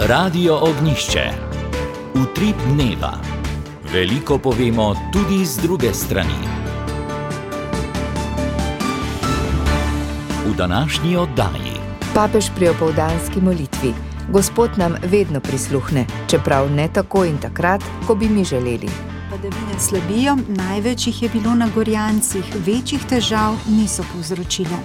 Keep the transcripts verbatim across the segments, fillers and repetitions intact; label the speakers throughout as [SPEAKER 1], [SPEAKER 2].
[SPEAKER 1] Radio Ognjišče. Utrip dneva. Veliko povemo tudi z druge strani. V današnji oddaji.
[SPEAKER 2] Papež pri opoldanski molitvi. Gospod nam vedno prisluhne, čeprav ne tako in takrat, ko bi mi želeli.
[SPEAKER 3] Padavine slabijo, največ jih je bilo na Gorjancih, večjih težav niso povzročile.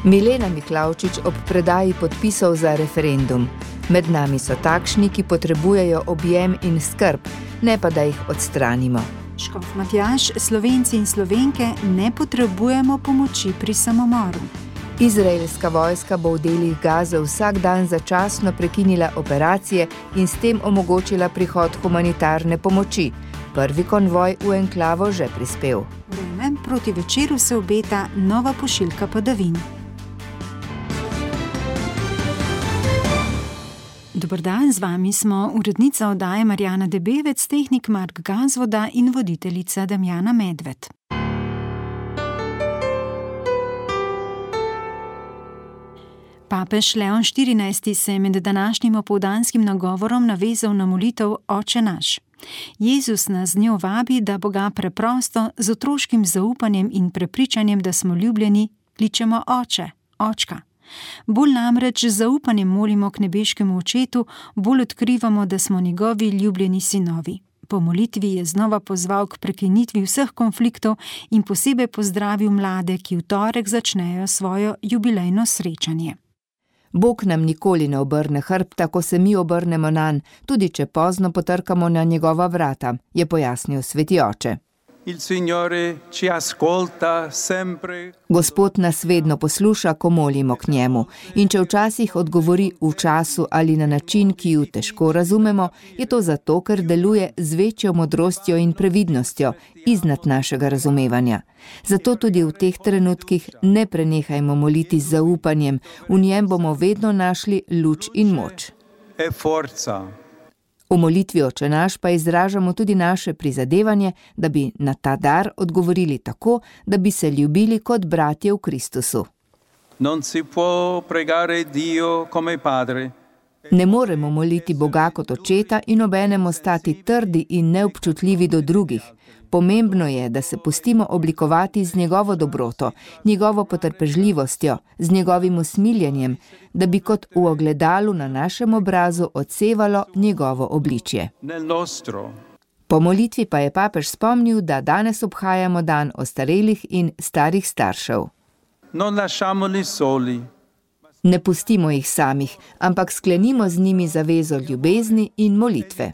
[SPEAKER 2] Milena Miklavčič ob predaji podpisov za referendum. Med nami so takšni, ki potrebujejo objem in skrb, ne pa da jih odstranimo.
[SPEAKER 3] Škof Matjaž, Slovenci in Slovenke ne potrebujemo pomoči pri samomoru.
[SPEAKER 2] Izraelska vojska bo v delih Gaze vsak dan začasno prekinila operacije in s tem omogočila prihod humanitarne pomoči. Prvi konvoj v enklavo že prispel.
[SPEAKER 3] Vreme, proti večeru se obeta nova pošiljka padavin. Dober dan, z vami smo urednica oddaje Marjana Debevec, tehnik Mark Gazvoda in voditeljica Damjana Medved. Papež Leon štirinajsti se je med današnjim opoldanskim nagovorom navezal na molitev Oče naš. Jezus nas z njo vabi, da Boga preprosto, z otroškim zaupanjem in prepričanjem, da smo ljubljeni, kličemo Oče, Očka. Bolj namreč z zaupanjem molimo k nebeškemu Očetu, bolj odkrivamo, da smo njegovi ljubljeni sinovi. Po molitvi je znova pozval k prekinitvi vseh konfliktov in posebej pozdravil mlade, ki v torek začnejo svojo jubilejno srečanje.
[SPEAKER 2] Bog nam nikoli ne obrne hrbta, ko se mi obrnemo nanj, tudi če pozno potrkamo na njegova vrata, je pojasnil sveti oče.
[SPEAKER 4] Il Signore ci ascolta sempre.
[SPEAKER 2] Gospod nas vedno posluša, ko molimo k njemu, in če včasih odgovori v času ali na način, ki ju težko razumemo, je to zato, ker deluje z večjo modrostjo in previdnostjo, iznad našega razumevanja. Zato tudi v teh trenutkih ne prenehajmo moliti z zaupanjem, v njem bomo vedno našli luč in moč.
[SPEAKER 4] E forza.
[SPEAKER 2] V molitvi Oče naš pa izražamo tudi naše prizadevanje, da bi na ta dar odgovorili tako, da bi se ljubili kot bratje v Kristusu.
[SPEAKER 4] Non si può pregare Dio come padre.
[SPEAKER 2] Ne moremo moliti Boga kot očeta in obenem ostati trdi in neobčutljivi do drugih. Pomembno je, da se pustimo oblikovati z njegovo dobroto, njegovo potrpežljivostjo, z njegovim usmiljenjem, da bi kot v ogledalu na našem obrazu odsevalo njegovo obličje. Po molitvi pa je papež spomnil, da danes obhajamo dan ostarelih in starih staršev.
[SPEAKER 4] Non lasciamoli soli.
[SPEAKER 2] Ne pustimo jih samih, ampak sklenimo z njimi zavezo ljubezni in molitve.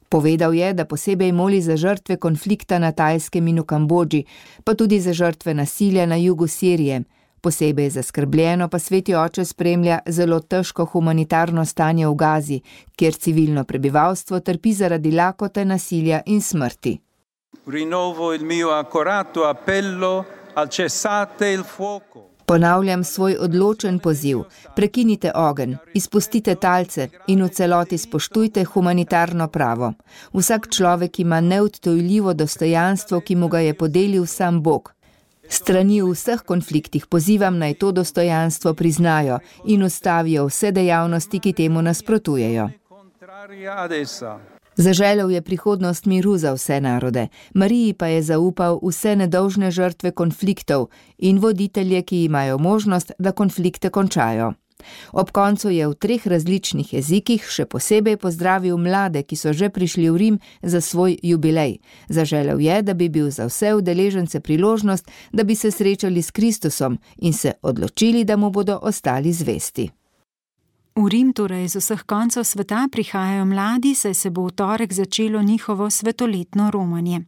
[SPEAKER 2] Povedal je, da posebej moli za žrtve konflikta na Tajskem in v Kambodži, pa tudi za žrtve nasilja na jugu Sirije. Posebej zaskrbljeno pa sveti oče spremlja zelo težko humanitarno stanje v Gazi, kjer civilno prebivalstvo trpi zaradi lakote, nasilja in smrti.
[SPEAKER 4] Rinnovo il mio accorato appello al cessate il fuoco.
[SPEAKER 2] Ponavljam svoj odločen poziv, prekinite ogenj, izpustite talce in v celoti spoštujte humanitarno pravo. Vsak človek ima neodtujljivo dostojanstvo, ki mu ga je podelil sam Bog. Strani v vseh konfliktih pozivam naj to dostojanstvo priznajo in ustavijo vse dejavnosti, ki temu nasprotujejo. Zaželel je prihodnost miru za vse narode, Mariji pa je zaupal vse nedolžne žrtve konfliktov in voditelje, ki imajo možnost, da konflikte končajo. Ob koncu je v treh različnih jezikih še posebej pozdravil mlade, ki so že prišli v Rim za svoj jubilej. Zaželel je, da bi bil za vse udeležence priložnost, da bi se srečali s Kristusom in se odločili, da mu bodo ostali zvesti.
[SPEAKER 3] V Rim, torej z vseh koncev sveta, prihajajo mladi, saj se bo v torek začelo njihovo svetoletno romanje.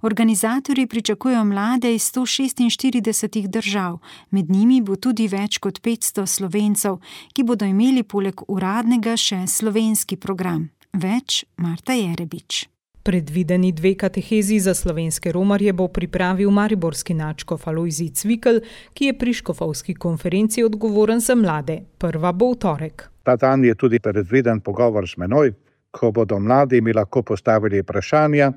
[SPEAKER 3] Organizatorji pričakujejo mlade iz sto šestinštiridesetih držav, med njimi bo tudi več kot petsto Slovencev, ki bodo imeli poleg uradnega še slovenski program. Več Marta Jerebič.
[SPEAKER 5] Predvideni dve katehezi za slovenske romarje bo pripravil mariborski nadškof Alojzij Cvikl, ki je pri škofovski konferenci odgovoren za mlade. Prva bo v torek.
[SPEAKER 6] Ta dan je tudi predviden pogovor z menoj, ko bodo mladi mi lahko postavili vprašanja,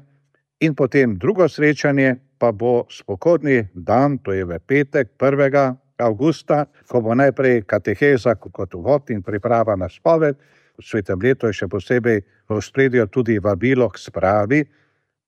[SPEAKER 6] in potem drugo srečanje pa bo spokojni dan, to je v petek, prvega avgusta, ko bo najprej kateheza kot uvod in priprava na spoved, svetem letu je še posebej v ospredju tudi vabilo k spravi,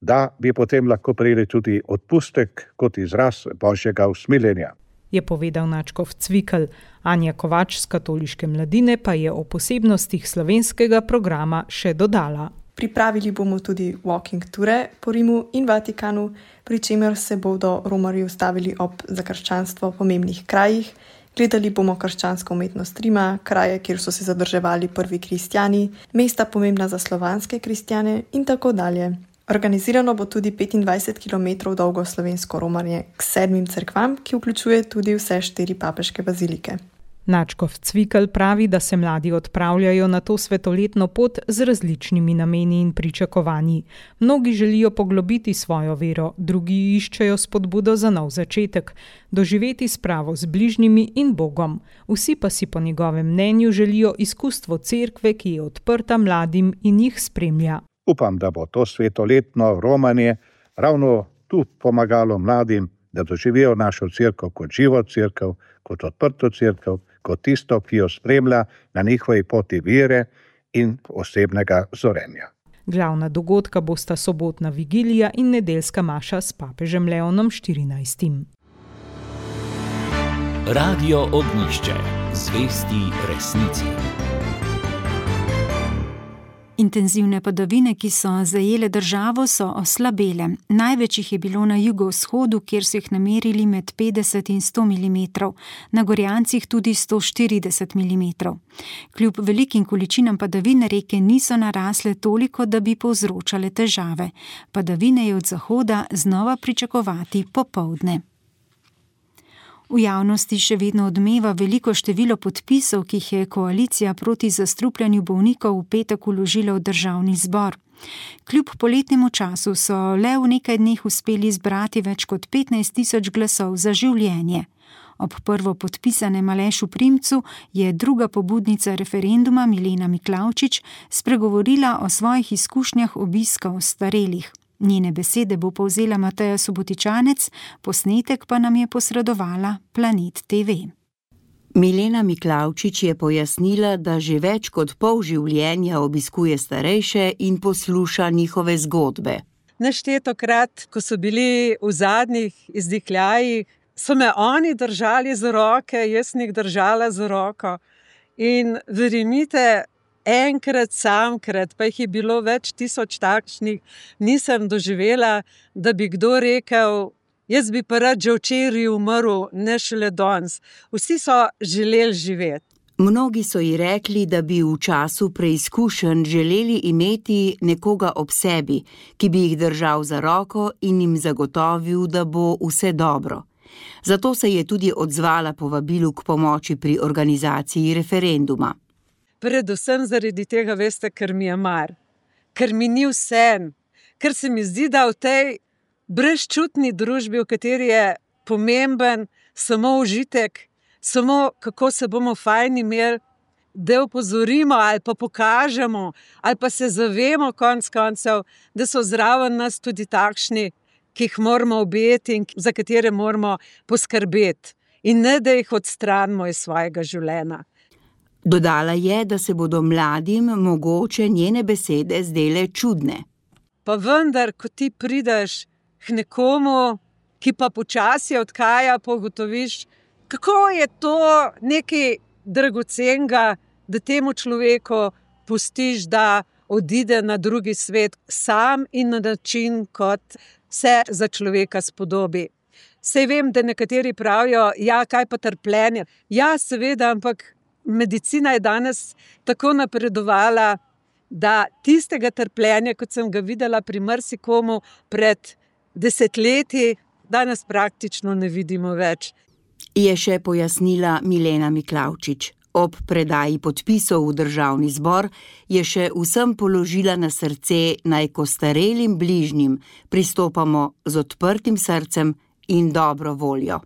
[SPEAKER 6] da bi potem lahko prejeli tudi odpustek kot izraz božjega usmiljenja.
[SPEAKER 5] Je povedal nadškof Cvikl. Anja Kovač z Katoliške mladine pa je o posebnostih slovenskega programa še dodala.
[SPEAKER 7] Pripravili bomo tudi walking ture po Rimu in Vatikanu, pri čemer se bodo romarji ustavili ob za krščanstvo pomembnih krajih. Gledali bomo krščansko umetnost Rima, kraje, kjer so se zadrževali prvi kristjani, mesta pomembna za slovanske kristjane in tako dalje. Organizirano bo tudi petindvajset kilometrov dolgo slovensko romarje k sedmim cerkvam, ki vključuje tudi vse štiri papeške bazilike.
[SPEAKER 5] Nadškof Cvikl pravi, da se mladi odpravljajo na to svetoletno pot z različnimi nameni in pričakovanji. Mnogi želijo poglobiti svojo vero, drugi iščejo spodbudo za nov začetek, doživeti spravo z bližnjimi in Bogom. Vsi pa si po njegovem mnenju želijo izkustvo cerkve, ki je odprta mladim in jih spremlja.
[SPEAKER 6] Upam, da bo to svetoletno romanje ravno tu pomagalo mladim, da doživijo našo cerkev kot živo cerkev, kot odprto cerkev, kot tisto, ki jo spremlja na njihovi poti vere in osebnega zorenja.
[SPEAKER 5] Glavna dogodka bosta sobotna vigilija in nedeljska maša s papežem Leonom štirinajstim.
[SPEAKER 1] Radio Ognjišče, zvesti resnici.
[SPEAKER 3] Intenzivne padavine, ki so zajele državo, so oslabele. Največ jih je bilo na jugovzhodu, kjer so jih namerili med petdeset in sto milimetrov, na Gorjancih tudi sto štirideset milimetrov. Kljub velikim količinam padavin reke niso narasle toliko, da bi povzročale težave. Padavine je od zahoda znova pričakovati popoldne. V javnosti še vedno odmeva veliko število podpisov, ki jih je koalicija proti zastrupljanju bolnikov v petek vložila v državni zbor. Kljub poletnemu času so le v nekaj dneh uspeli zbrati več kot petnajst tisoč glasov za življenje. Ob prvo podpisanem Alešu Primcu je druga pobudnica referenduma Milena Miklavčič spregovorila o svojih izkušnjah obiska ostarelih. Njene besede bo povzela Mateja Subotičanec, posnetek pa nam je posredovala Planet te ve.
[SPEAKER 8] Milena Miklavčič je pojasnila, da že več kot pol življenja obiskuje starejše in posluša njihove zgodbe.
[SPEAKER 9] Neštetokrat, ko so bili v zadnjih izdihljajih, so me oni držali za roke, jaz njih držala za roko. In verjemite, enkrat samkrat, pa jih je bilo več tisoč takšnih, nisem doživela, da bi kdo rekel, jaz bi pa rad že včeraj umrl, ne šele danes. Vsi so želeli živeti.
[SPEAKER 8] Mnogi so ji rekli, da bi v času preizkušenj želeli imeti nekoga ob sebi, ki bi jih držal za roko in jim zagotovil, da bo vse dobro. Zato se je tudi odzvala povabilu k pomoči pri organizaciji referenduma.
[SPEAKER 9] Predvsem zaradi tega, veste, ker mi je mar, ker mi ni vseeno, ker se mi zdi, da v tej brezčutni družbi, v kateri je pomemben samo užitek, samo kako se bomo fajn imeli, da opozorimo ali pa pokažemo, ali pa se zavemo konc koncev, da so zraven nas tudi takšni, ki jih moramo objeti in za katere moramo poskrbeti. In ne, da jih odstranimo iz svojega življenja.
[SPEAKER 8] Dodala je, da se bodo mladim mogoče njene besede zdele čudne.
[SPEAKER 9] Pa vendar, ko ti prideš k nekomu, ki pa počasi odhaja, pa ugotoviš, kako je to nekaj dragocenega, da temu človeku pustiš, da odide na drugi svet sam in na način, kot se za človeka spodobi. Sej vem, da nekateri pravijo, ja, kaj pa trpljenje. Ja, seveda, ampak medicina je danes tako napredovala, da tistega trpljenja, kot sem ga videla pri marsikomu pred desetletji, danes praktično ne vidimo več.
[SPEAKER 8] Je še pojasnila Milena Miklavčič. Ob predaji podpisov v državni zbor je še vsem položila na srce, naj ko starelim bližnjim pristopamo z odprtim srcem in dobro voljo.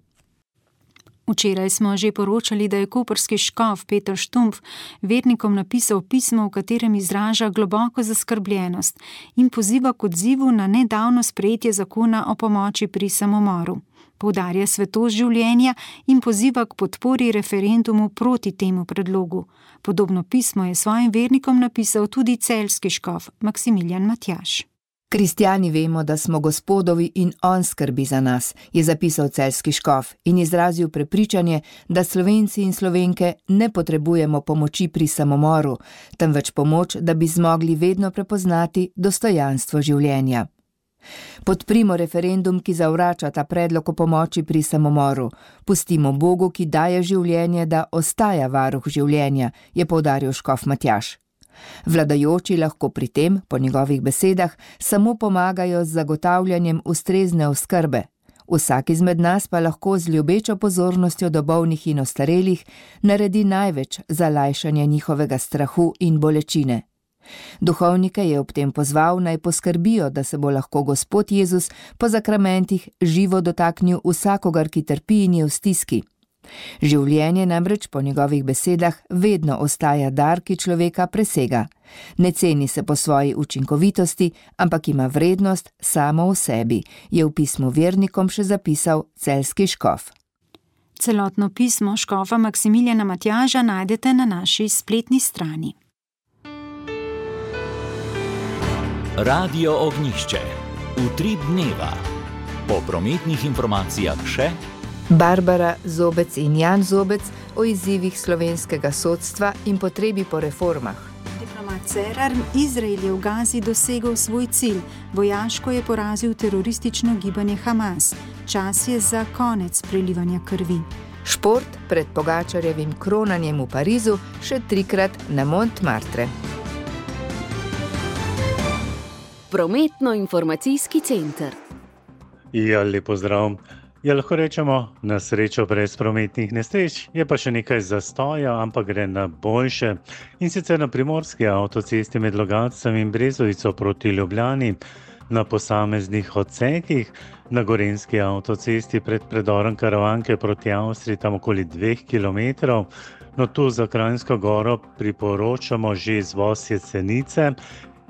[SPEAKER 3] Včeraj smo že poročali, da je koprski škof Peter Štumpf vernikom napisal pismo, v katerem izraža globoko zaskrbljenost in poziva k odzivu na nedavno sprejetje zakona o pomoči pri samomoru. poudarja svetost življenja in poziva k podpori referendumu proti temu predlogu. Podobno pismo je svojim vernikom napisal tudi celjski škof Maksimilijan Matjaž.
[SPEAKER 2] Kristjani vemo, da smo Gospodovi in on skrbi za nas, je zapisal celjski škof in izrazil prepričanje, da Slovenci in Slovenke ne potrebujemo pomoči pri samomoru, temveč pomoč, da bi zmogli vedno prepoznati dostojanstvo življenja. Podprimo referendum, ki zavrača ta predlog o pomoči pri samomoru. Pustimo Bogu, ki daje življenje, da ostaja varuh življenja, je poudaril škof Matjaž. Vladajoči lahko pri tem, po njegovih besedah, samo pomagajo z zagotavljanjem ustrezne oskrbe. Vsak izmed nas pa lahko z ljubečo pozornostjo do bolnih in ostarelih naredi največ za lajšanje njihovega strahu in bolečine. Duhovnike je ob tem pozval, naj poskrbijo, da se bo lahko Gospod Jezus po zakramentih živo dotaknil vsakogar, ki trpi in je v stiski. Življenje namreč po njegovih besedah vedno ostaja dar, ki človeka presega. Ne ceni se po svoji učinkovitosti, ampak ima vrednost samo v sebi, je v pismu vernikom še zapisal celjski škof.
[SPEAKER 3] Celotno pismo škofa Maksimilijana Matjaža najdete na naši spletni strani.
[SPEAKER 1] Radio Ognjišče. Utrip dneva. Po prometnih informacijah še
[SPEAKER 2] Barbara Zobec in Jan Zobec o izzivih slovenskega sodstva in potrebi po reformah.
[SPEAKER 3] Diplomat Cerar, Izrael je v Gazi dosegel svoj cilj. Vojaško je porazil teroristično gibanje Hamas. Čas je za konec prelivanja krvi.
[SPEAKER 2] Šport pred Pogačarjevim kronanjem v Parizu še trikrat na Montmartre.
[SPEAKER 10] Prometno-informacijski center.
[SPEAKER 11] Ja, lepo zdrav. Ja, lahko rečemo, na srečo brez prometnih nesreč, je pa še nekaj zastoja, ampak gre na boljše. In sicer na primorski avtocesti med Logatcem in Brezovico proti Ljubljani, na posameznih odsekih, na gorenjski avtocesti pred predorom Karavanke proti Avstriji tam okoli dveh kilometrov, no tu za Kranjsko goro priporočamo že izvoz Jesenice,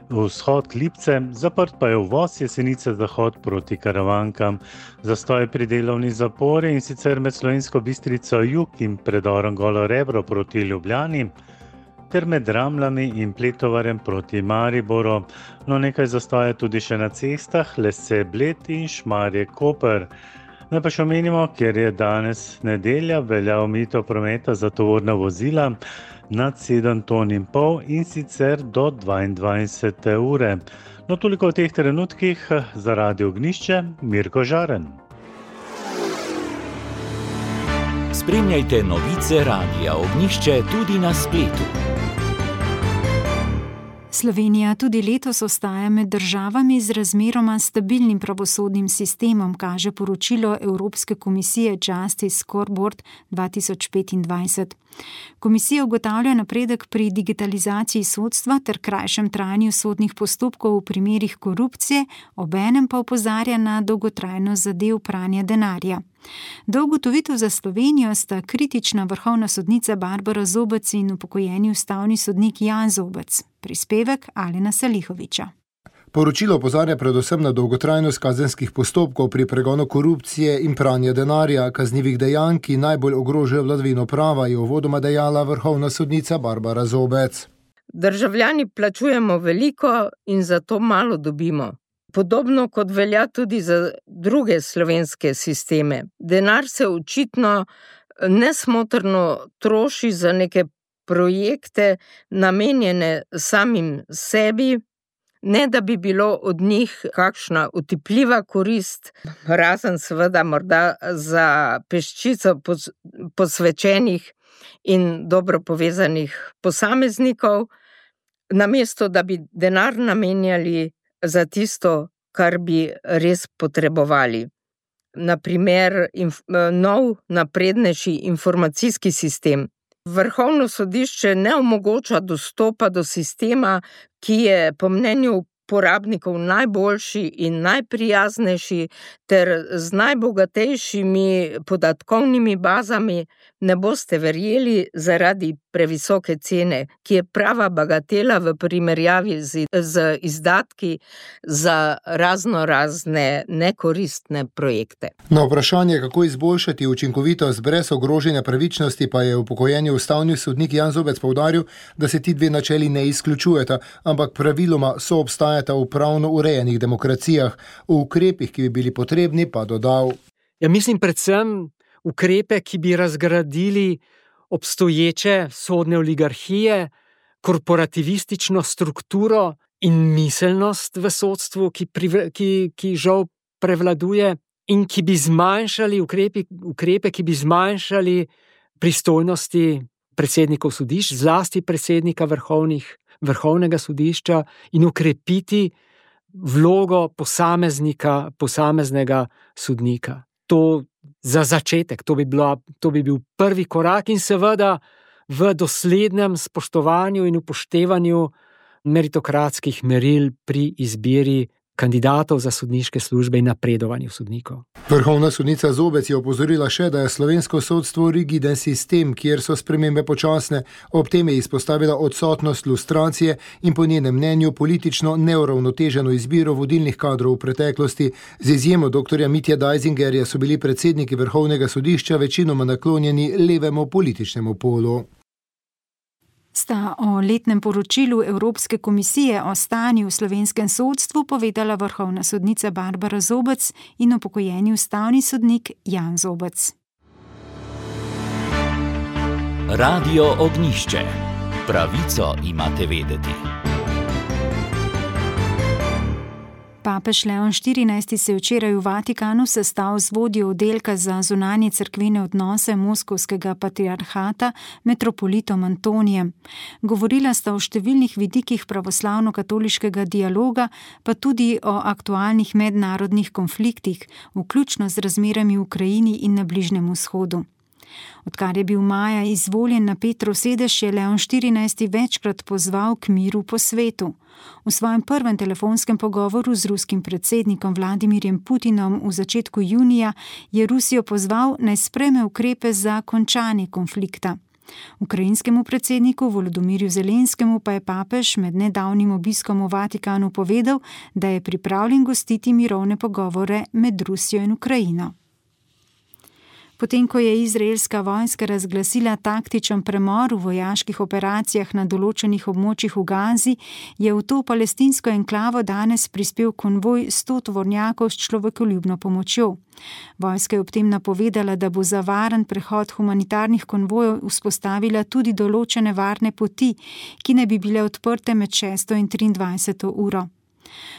[SPEAKER 11] vzhod Lipce, zaprt pa je uvoz Jesenice zahod proti Karavankam. Zastoj pri delovni zapori in sicer med Slovensko Bistrico jug in predorom Golo Rebro proti Ljubljani, ter med Ramljami in Pletovarjem proti Mariboru. No, nekaj zastoja tudi še na cestah Lese Bled in Šmarje Koper. Naj pa še omenimo, ker je danes nedelja, velja omejitev prometa za tovorna vozila nad sedem ton in pol in sicer do dvaindvajsete ure. No, toliko v teh trenutkih za Radio Ognjišče, Mirko Žaren.
[SPEAKER 1] Spremljajte novice Radia Ognjišče tudi na spletu.
[SPEAKER 3] Slovenija tudi letos ostaja med državami z razmeroma stabilnim pravosodnim sistemom, kaže poročilo Evropske komisije Justice Scoreboard dva tisoč petindvajset. Komisija ugotavlja napredek pri digitalizaciji sodstva ter krajšem trajanju sodnih postopkov v primerih korupcije, obenem pa opozarja na dolgotrajnost zadev pranja denarja. Do ugotovitev za Slovenijo sta kritična vrhovna sodnica Barbara Zobec in upokojeni ustavni sodnik Jan Zobec. Prispevek Alena Salihoviča.
[SPEAKER 12] Poročilo opozarja predvsem na dolgotrajnost kazenskih postopkov pri pregonu korupcije in pranja denarja, kaznivih dejanj, ki najbolj ogrožajo vladavino prava, je uvodoma dejala vrhovna sodnica Barbara Zobec.
[SPEAKER 13] Državljani plačujemo veliko in zato malo dobimo. Podobno kot velja tudi za druge slovenske sisteme. Denar se očitno nesmotrno troši za neke projekte namenjene samim sebi, ne da bi bilo od njih kakšna utipljiva korist, razen seveda morda za peščico posvečenih in dobro povezanih posameznikov, namesto da bi denar namenjali za tisto, kar bi res potrebovali. Naprimer, inf- nov naprednejši informacijski sistem. Vrhovno sodišče ne omogoča dostopa do sistema, ki je po mnenju uporabnikov najboljši in najprijaznejši ter z najbogatejšimi podatkovnimi bazami. Ne boste verjeli, zaradi previsoke cene, ki je prava bagatela v primerjavi z, z izdatki za razno razne nekoristne projekte.
[SPEAKER 12] Na vprašanje, kako izboljšati učinkovitost brez ogrožanja pravičnosti, pa je upokojeni ustavni sodnik Jan Zobec poudaril, da se ti dve načeli ne izključujeta, ampak praviloma soobstajata v pravno urejenih demokracijah. V ukrepih, ki bi bili potrebni, pa dodal.
[SPEAKER 10] Ja, mislim predvsem ukrepe, ki bi razgradili obstoječe sodne oligarhije, korporativistično strukturo in miselnost v sodstvu, ki, pri, ki, ki žal prevladuje, in ki bi zmanjšali ukrepe, ukrepe, ki bi zmanjšali pristojnosti predsednikov sodišč, zlasti predsednika vrhovnih, vrhovnega sodišča, in ukrepiti vlogo posameznika, posameznega sodnika. To za začetek, to bi, bila, to bi bil prvi korak in seveda v doslednem spoštovanju in upoštevanju meritokratskih meril pri izbiri kandidatov za sodniške službe in napredovanju sodnikov.
[SPEAKER 12] Vrhovna sodnica Zobec je opozorila še, da je slovensko sodstvo rigiden sistem, kjer so spremembe počasne. Ob tem je izpostavila odsotnost lustracije in po njenem mnenju politično neuravnoteženo izbiro vodilnih kadrov v preteklosti. Z izjemo doktorja Mitja Dajzingerja so bili predsedniki Vrhovnega sodišča večinoma naklonjeni levemu političnemu polu.
[SPEAKER 3] Sta o letnem poročilu Evropske komisije o stanju v slovenskem sodstvu povedala vrhovna sodnica Barbara Zobec in upokojeni ustavni sodnik Jan Zobec.
[SPEAKER 1] Radio Ognjišče. Pravico imate vedeti.
[SPEAKER 3] Papež Leon štirinajsti se je včeraj v Vatikanu sestal z vodjo oddelka za zunanje cerkvene odnose moskovskega patriarhata metropolitom Antonijem. Govorila sta o številnih vidikih pravoslavno-katoliškega dialoga, pa tudi o aktualnih mednarodnih konfliktih, vključno z razmerami v Ukrajini in na Bližnjem vzhodu. Odkar je bil maja izvoljen na Petrov sedež, je Leon štirinajsti večkrat pozval k miru po svetu. V svojem prvem telefonskem pogovoru z ruskim predsednikom Vladimirjem Putinom v začetku junija je Rusijo pozval, naj sprejme ukrepe za končanje konflikta. Ukrajinskemu predsedniku Volodymyrju Zelenskemu pa je papež med nedavnim obiskom v Vatikanu povedal, da je pripravljen gostiti mirovne pogovore med Rusijo in Ukrajino. Potem, ko je izraelska vojska razglasila taktičen premor v vojaških operacijah na določenih območjih v Gazi, je v to palestinsko enklavo danes prispel konvoj sto tovornjakov s človekoljubno pomočjo. Vojska je ob tem napovedala, da bo za varen prehod humanitarnih konvojev vzpostavila tudi določene varne poti, ki ne bi bile odprte med šesto in triindvajseto uro.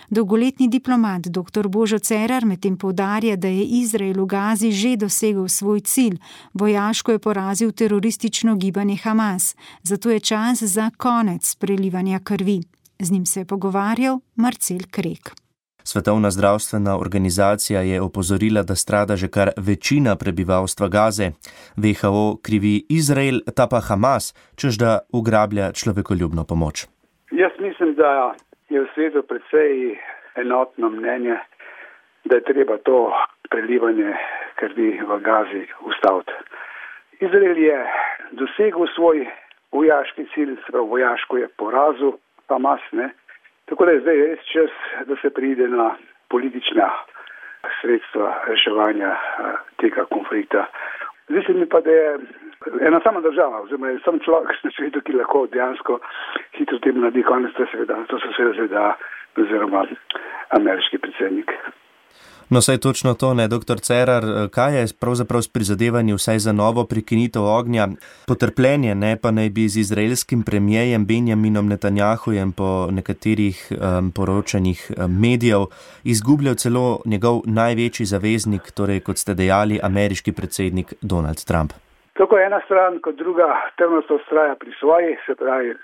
[SPEAKER 3] Dolgoletni diplomat dr. Božo Cerar medtem poudarja, da je Izrael v Gazi že dosegel svoj cilj, vojaško je porazil teroristično gibanje Hamas, zato je čas za konec prelivanja krvi. Z njim se je pogovarjal Marcel Krek.
[SPEAKER 14] Svetovna zdravstvena organizacija je opozorila, da strada že kar večina prebivalstva Gaze. V H O krivi Izrael, ta pa Hamas, češ da ugrablja človekoljubno pomoč.
[SPEAKER 15] Jaz mislim, da je v svetu precej enotno mnenje, da je treba to prelivanje krvi v Gazi ustaviti. Izrael je dosegel svoj vojaški cilj, sprav vojaško je porazil Hamas, ne? Tako da je zdaj res čas, da se pride na politična sredstva reševanja tega konflikta. Zdi se mi pa, da je ena sama država, oziroma je sam človek na svetu, ki lahko dejansko hitro tem naredi konec, to so seveda Z D A oziroma ameriški predsednik.
[SPEAKER 14] No, saj točno to, ne, doktor Cerar, kaj je pravzaprav s prizadevanji vsaj za novo prekinitev ognja? Potrpljenje, ne, pa naj bi z izraelskim premijejem Benjaminom Netanjahujem po nekaterih um, poročanjih um, medijev izgubljal celo njegov največji zaveznik, torej kot ste dejali, ameriški predsednik Donald Trump.
[SPEAKER 15] Tako ena stran kot druga trmasto vztraja pri svoji, se pravi,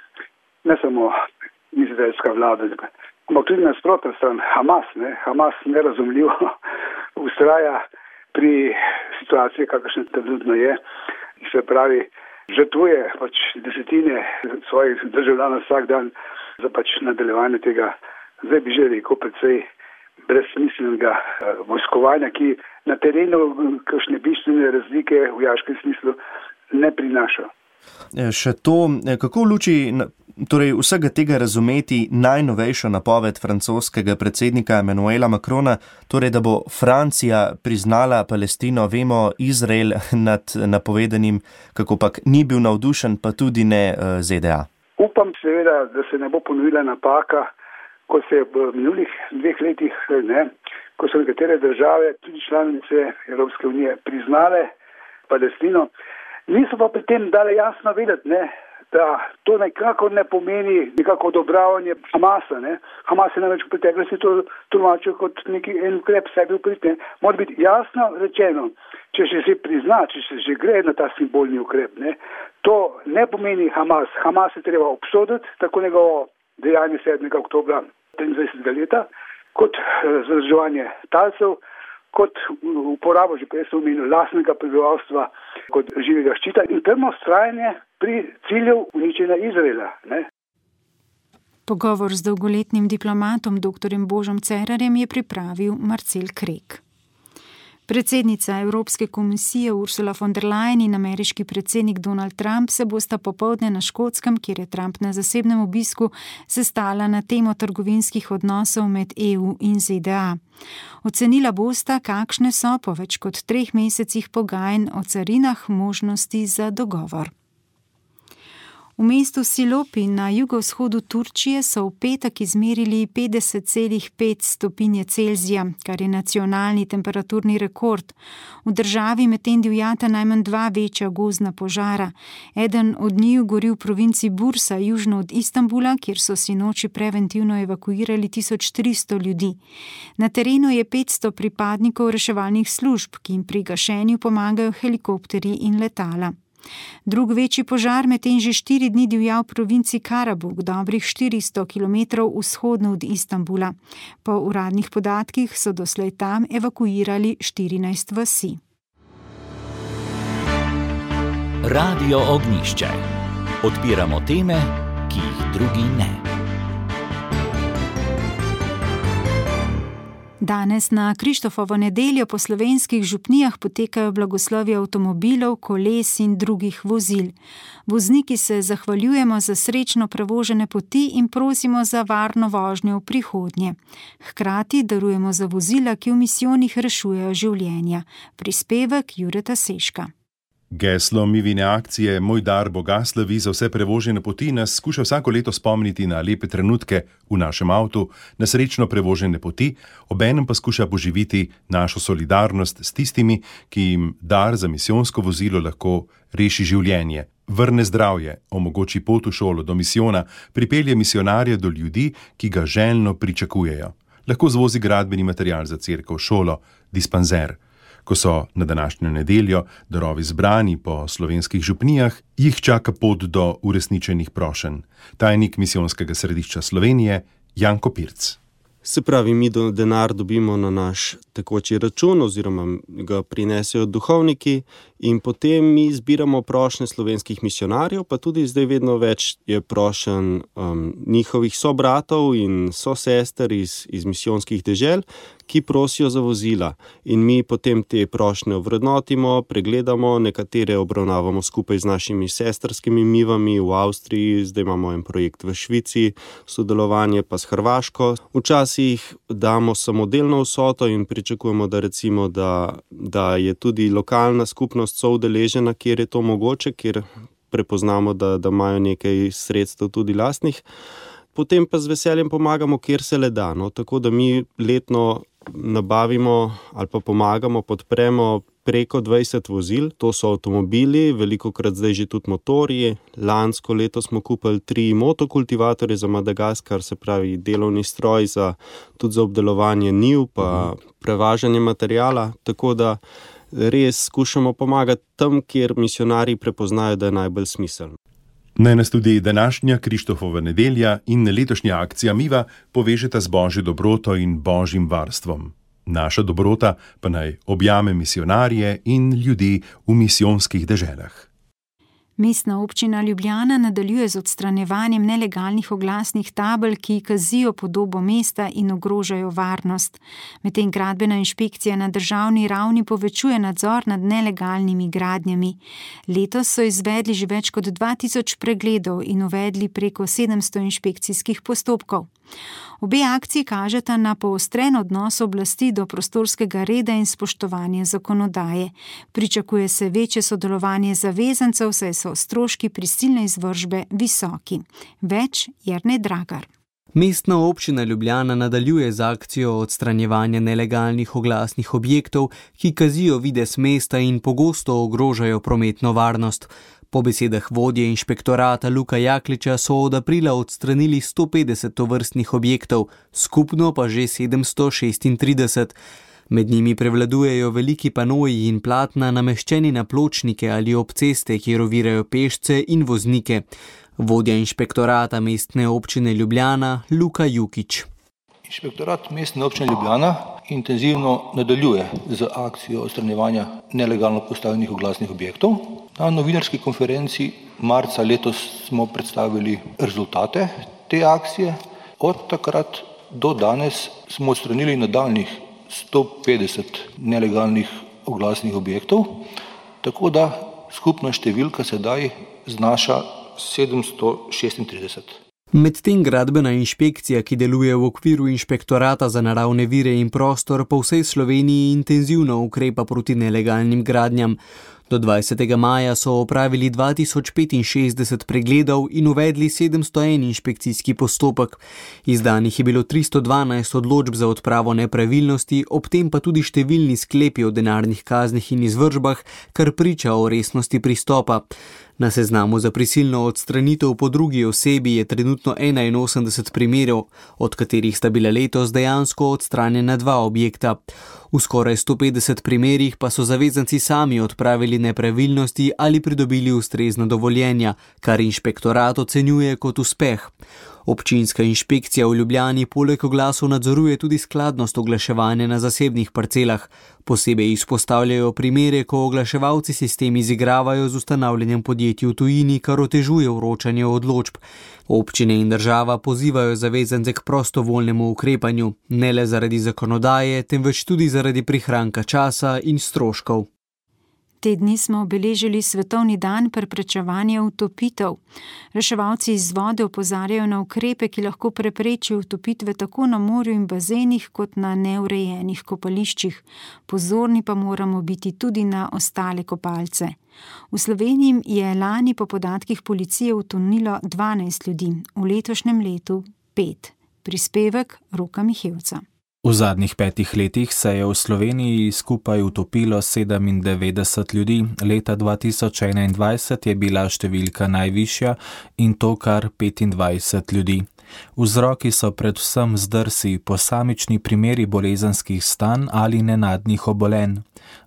[SPEAKER 15] ne samo izraelska vlada, ampak tudi nasprotna stran, Hamas, ne, Hamas nerazumljivo vztraja pri situaciji, kakršna trenutno je, se pravi, žrtvuje pač desetine svojih državljanov vsak dan za pač nadaljevanje tega, zdaj bi že rekel, precej brezsmiselnega vojskovanja, ki na terenu kakšne bistvene razlike v vojaškem smislu ne prinaša.
[SPEAKER 14] Še to, kako v luči torej vsega tega razumeti najnovejšo napoved francoskega predsednika Emmanuela Macrona, torej da bo Francija priznala Palestino, vemo, Izrael nad napovedanim, kako pak ni bil navdušen, pa tudi ne Z D A.
[SPEAKER 15] Upam seveda, da se ne bo ponovila napaka, ko se je v minulih dveh letih, ne, ko so nekatere države, tudi članice Evropske unije, priznale Palestino, niso pa pri tem dale jasno vedeti, ne, da to nekako ne pomeni nekako odobravanje Hamasa. Ne. Hamas je namreč v preteklosti to tolmačil kot neki en ukrep sebi uprit. Mora biti jasno rečeno, če se že prizna, če se že gre na ta simbolni ukrep, ne, to ne pomeni Hamas. Hamas je treba obsoditi, tako njegovo dejanje sedmega oktobra triindvajsetega leta, kot zadrževanje talcev, kot uporabo, že prej sem omenil, lastnega prebivalstva kot živega ščita in trdno vztrajanje pri cilju uničenja Izraela. Ne?
[SPEAKER 3] Pogovor z dolgoletnim diplomatom doktorjem Božom Cerarjem je pripravil Marcel Krek. Predsednica Evropske komisije Ursula von der Leyen in ameriški predsednik Donald Trump se bosta popoldne na Škotskem, kjer je Trump na zasebnem obisku, sestala na temo trgovinskih odnosov med E U in Z D A. Ocenila bosta, kakšne so po več kot treh mesecih pogajanj o carinah možnosti za dogovor. V mestu Silopi na jugovzhodu Turčije so v petek izmerili petdeset celih pet stopinje Celzija, kar je nacionalni temperaturni rekord. V državi medtem divjata najmanj dva večja gozdna požara. Eden od njiju gori v provinci Bursa, južno od Istanbula, kjer so sinoči preventivno evakuirali tisoč tristo ljudi. Na terenu je petsto pripadnikov reševalnih služb, ki jim pri gašenju pomagajo helikopterji in letala. Drug večji požar medtem že štiri dni divja v provinci Karabuk, dobrih štiristo kilometrov vzhodno od Istanbula. Po uradnih podatkih so doslej tam evakuirali štirinajst vasi.
[SPEAKER 1] Radio Ognjišče. Odpiramo teme, ki jih drugi ne.
[SPEAKER 3] Danes na Krištofovo nedeljo po slovenskih župnijah potekajo blagoslovi avtomobilov, koles in drugih vozil. Vozniki se zahvaljujemo za srečno prevožene poti in prosimo za varno vožnjo v prihodnje. Hkrati darujemo za vozila, ki v misijonih rešujejo življenja. Prispevek Jureta Seška.
[SPEAKER 16] Geslo Mivine akcije Moj dar Boga slavi za vse prevožene poti nas skuša vsako leto spomniti na lepe trenutke v našem avtu, na srečno prevožene poti, obenem pa skuša poživiti našo solidarnost s tistimi, ki jim dar za misijonsko vozilo lahko reši življenje, vrne zdravje, omogoči pot v šolo do misijona, pripelje misionarje do ljudi, ki ga željno pričakujejo. Lahko zvozi gradbeni material za cerkev, šolo, dispanzer. Ko so na današnjo nedeljo darovi zbrani po slovenskih župnijah, jih čaka pot do uresničenih prošenj. Tajnik misijonskega središča Slovenije, Janko Pirc.
[SPEAKER 17] Se pravi, mi do denar dobimo na naš tekoči račun oziroma ga prinesejo duhovniki in potem mi zbiramo prošnje slovenskih misionarjev, pa tudi zdaj vedno več je prošenj um, njihovih sobratov in sosester iz, iz misijonskih dežel, ki prosijo za vozila. In mi potem te prošnje ovrednotimo, pregledamo, nekatere obravnavamo skupaj z našimi sestrskimi mivami v Avstriji, zdaj imamo en projekt v Švici, sodelovanje pa s Hrvaško. Včasih damo samodelno vsoto in pričakujemo, da recimo, da, da je tudi lokalna skupnost soudeležena, kjer je to mogoče, kjer prepoznamo, da, da imajo nekaj sredstev tudi lastnih. Potem pa z veseljem pomagamo, kjer se le da. No? Tako da mi letno nabavimo ali pa pomagamo, podpremo preko dvajset vozil. To so avtomobili, velikokrat zdaj že tudi motorji. Lansko leto smo kupili tri motokultivatorje za Madagaskar, se pravi delovni stroj za, tudi za obdelovanje njiv pa prevažanje materijala. Tako da res skušamo pomagati tam, kjer misionarji prepoznajo, da je najbolj smiselno.
[SPEAKER 16] Naj nas tudi današnja Krištofova nedelja in letošnja akcija Miva povežeta z božjo dobroto in božjim varstvom. Naša dobrota pa naj objame misionarje in ljudi v misijonskih deželah.
[SPEAKER 3] Mestna občina Ljubljana nadaljuje z odstranjevanjem nelegalnih oglasnih tabel, ki kazijo podobo mesta in ogrožajo varnost. Medtem gradbena inšpekcija na državni ravni povečuje nadzor nad nelegalnimi gradnjami. Letos so izvedli že več kot dva tisoč pregledov in uvedli preko sedemsto inšpekcijskih postopkov. Obe akciji kažeta na poostren odnos oblasti do prostorskega reda in spoštovanje zakonodaje. Pričakuje se večje sodelovanje zavezancev, saj so stroški prisilne izvršbe visoki. Več Jernej Dragar.
[SPEAKER 18] Mestna občina Ljubljana nadaljuje z akcijo odstranjevanja nelegalnih oglasnih objektov, ki kazijo videz mesta in pogosto ogrožajo prometno varnost. Po besedah vodje inšpektorata Luka Jakliča so od aprila odstranili sto petdeset tovrstnih objektov, skupno pa že sedemsto šestintrideset. Med njimi prevladujejo veliki panoji in platna nameščeni na pločnike ali ob ceste, kjer ovirajo pešce in voznike. Vodja inšpektorata mestne občine Ljubljana Luka Jukič.
[SPEAKER 19] Inšpektorat mestne občine Ljubljana intenzivno nadaljuje z akcijo odstranjevanja nelegalno postavljenih oglasnih objektov. Na novinarski konferenci marca letos smo predstavili rezultate te akcije. Od takrat do danes smo odstranili nadaljnjih sto petdeset nelegalnih oglasnih objektov, tako da skupna številka sedaj znaša sedemsto šestintrideset.
[SPEAKER 18] Medtem gradbena inšpekcija, ki deluje v okviru inšpektorata za naravne vire in prostor, po vsej Sloveniji intenzivno ukrepa proti nelegalnim gradnjam. Do dvajsetega maja so opravili dva tisoč petinšestdeset pregledov in uvedli sedemsto en inšpekcijski postopek. Izdanih je bilo tristo dvanajst odločb za odpravo nepravilnosti, ob tem pa tudi številni sklepi o denarnih kaznih in izvršbah, kar priča o resnosti pristopa. Na seznamu za prisilno odstranitev po drugi osebi je trenutno enainosemdeset primerov, od katerih sta bila letos dejansko odstranjena dva objekta. V skoraj sto petdeset primerih pa so zavezanci sami odpravili nepravilnosti ali pridobili ustrezna dovoljenja, kar inšpektorat ocenjuje kot uspeh. Občinska inšpekcija v Ljubljani poleg oglasov nadzoruje tudi skladnost oglaševanja na zasebnih parcelah. Posebej izpostavljajo primere, ko oglaševalci sistem izigravajo z ustanavljanjem podjetij v tujini, kar otežuje vročanje odločb. Občine in država pozivajo zavezance k prostovoljnemu ukrepanju, ne le zaradi zakonodaje, temveč tudi zaradi prihranka časa in stroškov.
[SPEAKER 3] Te dni smo obeležili Svetovni dan preprečevanja utopitev. Reševalci iz vode opozarjajo na ukrepe, ki lahko preprečijo utopitve tako na morju in bazenih, kot na neurejenih kopališčih. Pozorni pa moramo biti tudi na ostale kopalce. V Sloveniji je lani po podatkih policije utonilo dvanajst ljudi, v letošnjem letu pet. Prispevek Roka Mihevca.
[SPEAKER 20] V zadnjih petih letih se je v Sloveniji skupaj utopilo sedemindevetdeset ljudi, leta dva tisoč enaindvajset je bila številka najvišja in to kar petindvajset ljudi. Vzroki so predvsem zdrsi, posamični primeri bolezenskih stanj ali nenadnih obolenj.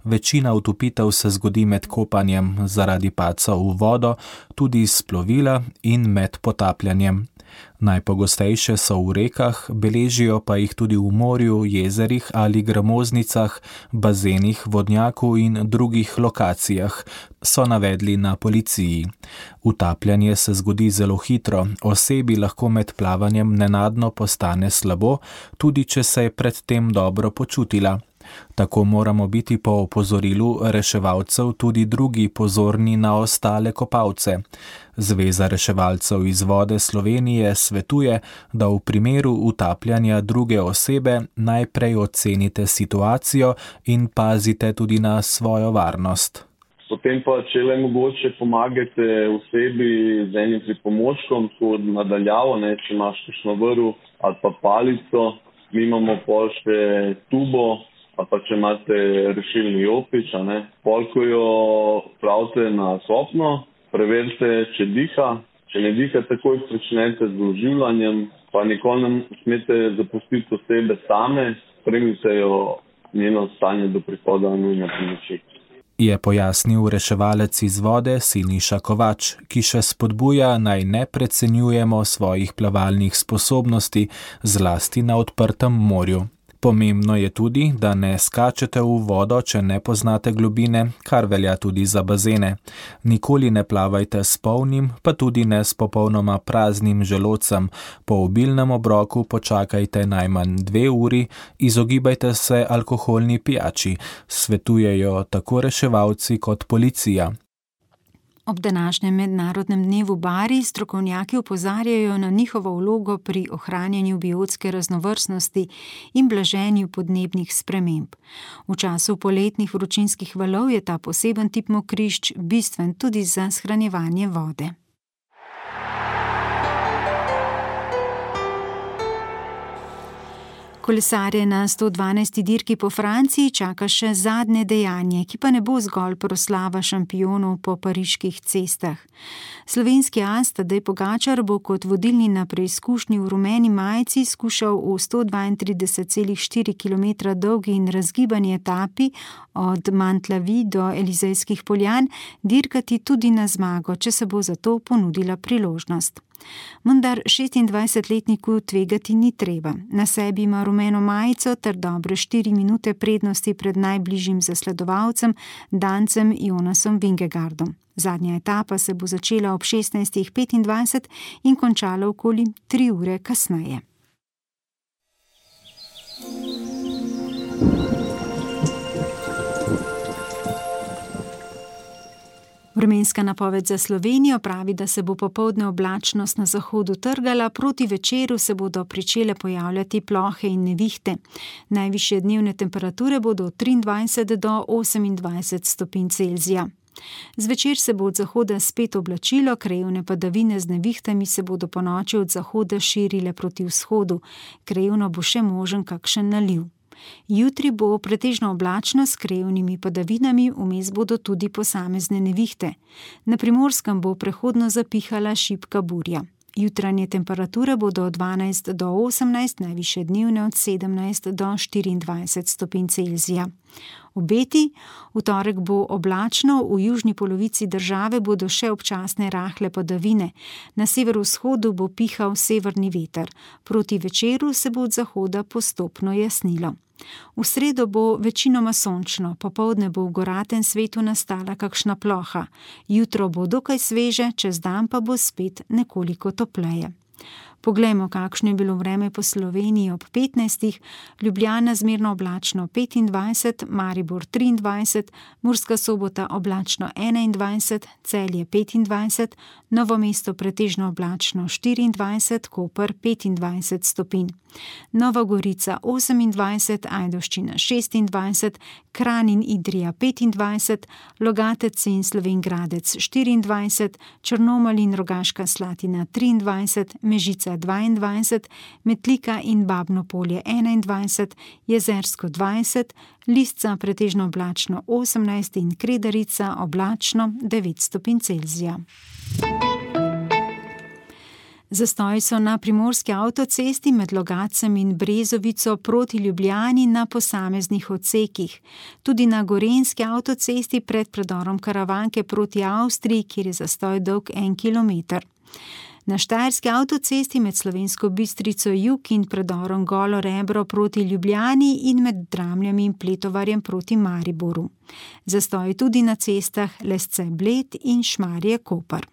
[SPEAKER 20] Večina utopitev se zgodi med kopanjem zaradi padca v vodo, tudi iz plovila in med potapljanjem. Najpogostejše so v rekah, beležijo pa jih tudi v morju, jezerih ali gramoznicah, bazenih, vodnjaku in drugih lokacijah, so navedli na policiji. Utapljanje se zgodi zelo hitro, osebi lahko med plavanjem nenadno postane slabo, tudi če se je predtem dobro počutila. Tako moramo biti po opozorilu reševalcev tudi drugi pozorni na ostale kopalce. Zveza reševalcev iz vode Slovenije svetuje, da v primeru utapljanja druge osebe najprej ocenite situacijo in pazite tudi na svojo varnost.
[SPEAKER 21] Potem pa, če le mogoče, pomagate osebi z enim pripomočkom, tako nadaljavo, ne, če imaš kakšno vrv ali pa palico, mi imamo pol še tubo, ali pa če imate rešilni jopič, a ne. Pol, ko jo spravite na kopno, preverite, če diha. Če ne diha, takoj pričnete z oživljanjem, pa nikoli ne smete zapustiti osebe same, spremljite jo njeno stanje do prihoda nujne pomoči.
[SPEAKER 20] Je pojasnil reševalec iz vode Siniša Kovač, ki še spodbuja, naj ne precenjujemo svojih plavalnih sposobnosti, zlasti na odprtem morju. Pomembno je tudi, da ne skačete v vodo, če ne poznate globine, kar velja tudi za bazene. Nikoli ne plavajte s polnim, pa tudi ne s popolnoma praznim želodcem. Po obilnem obroku počakajte najmanj dve uri, izogibajte se alkoholni pijači, svetujejo tako reševalci kot policija.
[SPEAKER 3] Ob današnjem mednarodnem dnevu bari strokovnjaki opozarjajo na njihovo vlogo pri ohranjanju biotske raznovrstnosti in blaženju podnebnih sprememb. V času poletnih vročinskih valov je ta poseben tip mokrišč bistven tudi za shranjevanje vode. Kolesarje na sto dvanajsti dirki po Franciji čaka še zadnje dejanje, ki pa ne bo zgolj proslava šampionov po pariških cestah. Slovenski as Tadej Pogačar bo kot vodilni na preizkušnji v rumeni majici skušal v sto dvaintrideset celih štiri kilometra dolgi in razgibani etapi od Mantlavi do Elizejskih poljan dirkati tudi na zmago, če se bo za to ponudila priložnost. Vendar šestindvajsetletniku tvegati ni treba. Na sebi ima rumeno majico ter dobre štiri minute prednosti pred najbližjim zasledovalcem, Dancem Jonasom Vingegaardom. Zadnja etapa se bo začela ob šestnajstih petindvajset in končala okoli tri ure kasneje. Vremenska napoved za Slovenijo pravi, da se bo popoldne oblačnost na zahodu trgala, proti večeru se bodo pričele pojavljati plohe in nevihte. Najvišje dnevne temperature bodo od triindvajset do osemindvajset stopinj Celzija. Zvečer se bo od zahoda spet oblačilo, krajevne padavine z nevihtami se bodo ponoči od zahoda širile proti vzhodu. Krajevno bo še možen kakšen naliv. Jutri bo pretežno oblačno s krajevnimi padavinami, vmes bodo tudi posamezne nevihte. Na Primorskem bo prehodno zapihala šibka burja. Jutranje temperature bodo od dvanajst do osemnajst, najvišje dnevne od sedemnajst do štiriindvajset stopinj Celzija. Obeti: v torek bo oblačno, v južni polovici države bodo še občasne rahle padavine. Na severovzhodu bo pihal severni veter. Proti večeru se bo od zahoda postopno jasnilo. V sredo bo večinoma sončno, popoldne bo v goratem svetu nastala kakšna ploha. Jutro bo dokaj sveže, čez dan pa bo spet nekoliko topleje. Poglejmo, kakšno je bilo vreme po Sloveniji ob petnajstih. Ljubljana zmerno oblačno petindvajset, Maribor triindvajset, Murska Sobota oblačno enaindvajset, Celje petindvajset, Novo mesto pretežno oblačno štiriindvajset, Koper petindvajset stopinj. Nova Gorica osemindvajset, Ajdovščina šestindvajset, Kranj in Idrija petindvajset, Logatec in Slovenj Gradec štiriindvajset, Črnomelj in Rogaška Slatina triindvajset, Mežica dvaindvajset, Metlika in Babno Polje enaindvajset, Jezersko dvajset, Lisca pretežno oblačno osemnajst in Kredarica oblačno devet stopinj Celzija. Zastoji so na primorski avtocesti med Logatcem in Brezovico proti Ljubljani na posameznih odsekih. Tudi na gorenjski avtocesti pred predorom Karavanke proti Avstriji, kjer je zastoj dolg en kilometer. Na štajerski avtocesti med Slovensko Bistrico jug in predorom Golo Rebro proti Ljubljani in med Dramljami in Pletovarjem proti Mariboru. Zastoji tudi na cestah Lesce Bled in Šmarje Koper.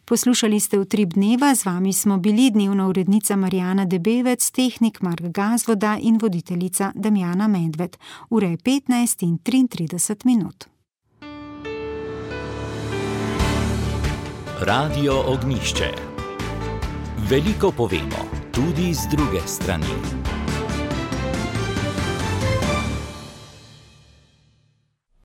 [SPEAKER 3] Poslušali ste Utrip dneva, z vami smo bili dnevna urednica Marijana Debevec, tehnik Mark Gazvoda in voditeljica Damjana Medved. Ura je petnajst in triintrideset minut.
[SPEAKER 1] Radio Ognjišče. Veliko povemo, tudi z druge strani.